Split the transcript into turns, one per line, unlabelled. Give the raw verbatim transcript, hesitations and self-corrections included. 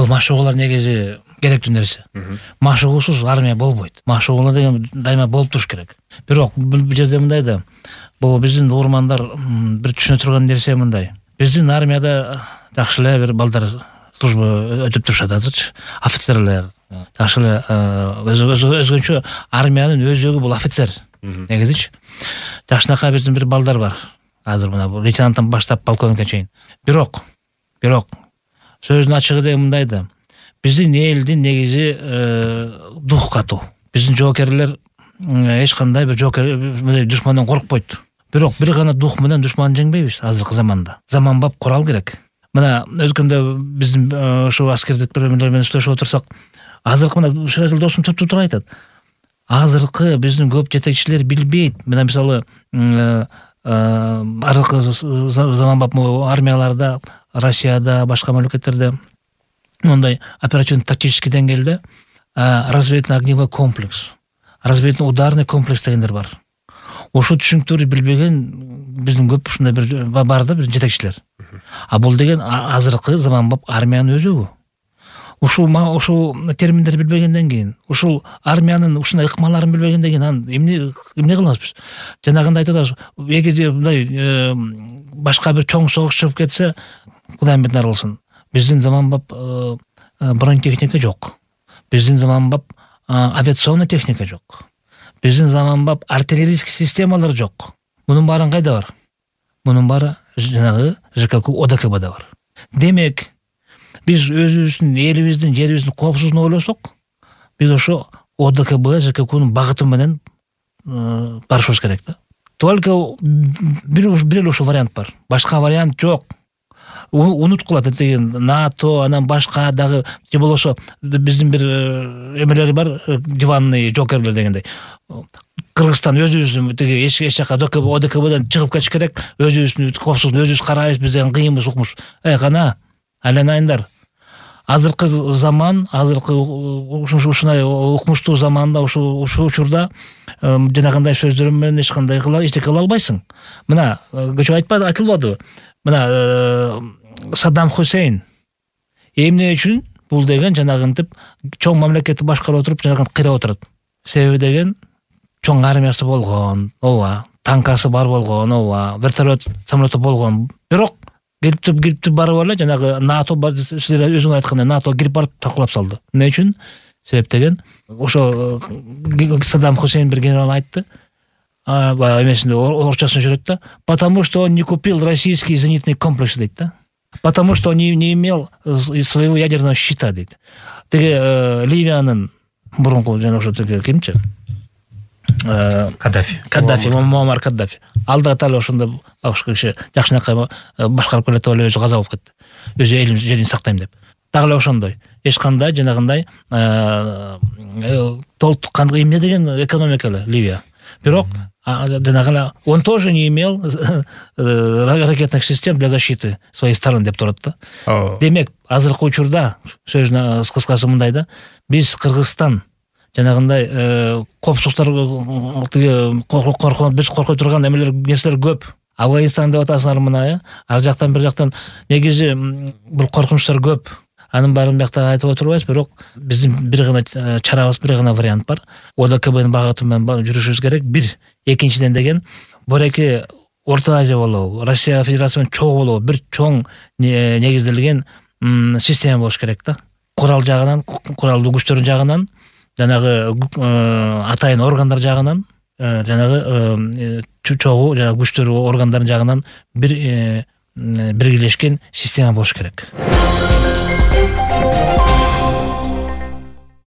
бул машыгуулар негизи керектүү нерсе. Машыгуусуз армия болбойт. Машыгуулар деген дайыма болуп туруш керек. Бирок бул жерде мындай да, бул биздин уурмандар бир түшүнө турган нерсе мындай. Биздин армияда жакшы эле бир балдар служба өтүп турушат азырчы, офицерлер. Жакшы эле өзгөчө армиянын өзөгү бул офицер. Негизичи. Жакшынакай биздин бир балдар бар. Азыр мына лейтенанттан баштап полковникке чейин. Бирок, бирок сөздүн ачыгы деген мындай да. Биздин элдин негизи дух катуу. Биздин жоокерлер эч кандай бир жоокер душмандан коркпойт. Бирок бир гана дух менен душманды жеңбейбиз азыркы заманда. Заманбап курал керек. Мына өткөндө биздин ошо аскердик бирлер менен сүйлөшүп отурсак, азыркы мына Шыраил досум туруп айтат. Азыркы биздин көп жетекчилер билбейт. Мына мисалы аркы заманбап армияларда, Россияда, башка мамлекеттерде мындай оперативный тактический деңгээлде разведный огневой комплекс, разведный ударный комплекс дегендер бар. Ошо түшүнүктөрү билбеген биздин көп ушундай бир бар да бир жетекчилер. А бул деген азыркы заманбап армиянын өзөгү. Ушул ушул терминдерди билбегенден кийин, ушул армиянын ушундай ыкмаларын билбегенден кийин анан эмне эмне кылабыз биз? Жанагындай айтып атабыз, эгерде мындай башка бир чоң согуш чыгып кетсе, Кудай менден болсун. Биздин заманбап бронетехника жок. Биздин заманбап авиационный техника жок. Биздин заманбап артиллерийский системалар жок. Мунун баарын кайда бар? Мунун баары жанагы ЖКК ОДКБда бар. Демек, биз өзүбүздүн элибиздин, жерибиздин коопсуздугун ойлосок, биз ошо ОДКБ, ЖККнын багыты менен барышыбыз керек да. Только бир бир ошо вариант бар. Башка вариант жок. Унуткулат деген НАТО, анан башка дагы же болбосо биздин бир эмелери бар, диванный жокерлер дегендей. Кыргызстан өзүбүздүн тиги эч эч жака ОДКБдан чыгып кетиш керек, өзүбүздүн коопсуздук өзүбүз карайбыз, биз деген кыйынбыз, укмуш. Эй кана, айланайындар. Азыркы заман, азыркы ушундай укмуштуу заманда, ушул учурда жанагындай сөздөр менен эч кандай эчтеке кыла албайсың. Мына көчө айтпады, айтылбадыбы? Мына Саддам Хусейн эмне үчүн бул деген жанагынтип чоң мамлекетти башкарып отуруп жанагынтип кыйрап отурат. Себеби деген чоң армиясы болгон, ооба, танкасы бар болгон, ооба, вертолет, самолеты болгон. Бирок кирип кирип барып эле жанагы НАТО силер өзүң айткандай НАТО кирип барып талкалап салды. Эмне үчүн? Себеп деген ошо Саддам Хусейн бир генерал айтты. А эмесинде орчосун жүрөт да. Потому что он не купил российский зенитный комплекс дейт да. Потому что он не, не имел своего ядерного щита дейт. Теге Ливиянын мурунку жана ошо теге кимчи?
Каддафи.
Каддафи, Муаммар Каддафи. Алда тал ошондо башка киши жакшынакай башкарып келет деп өзү каза болуп кетти. Өзү элим жерин сактайм деп. Дагы эле ошондой. Эч кандай жанагындай толук кандай эмне деген экономика эле Ливия. Бирок жанагы он тоже не имел ракетных систем для защиты своей страны деп турат да. Демек, азыркы учурда сөзүн кыскасы мындай да, биз Кыргызстан жанагындай коопсуздуктар коркуп биз коркой турган эмелер нерселер көп. Афганистан деп атасыңар мына, ар жактан бир жактан негизи бул коркунучтар көп. Анын баарын биякта айтып отурбайбыз, бирок биздин бир гана чарабыз, бир гана вариант бар. ОДКБнын багыты менен жүрүшүбүз керек. Бир, экинчиден деген бореки Орто Азия болобу, Россия Федерациясынын чогуу болобу, бир чоң негизделген система болуш керек да. Курал жагынан, куралдуу күчтөр жагынан, жанагы атайын органдар жагынан, жанагы чогуу жанагы күчтөр органдарын жагынан бир биргелешкен система болуш керек.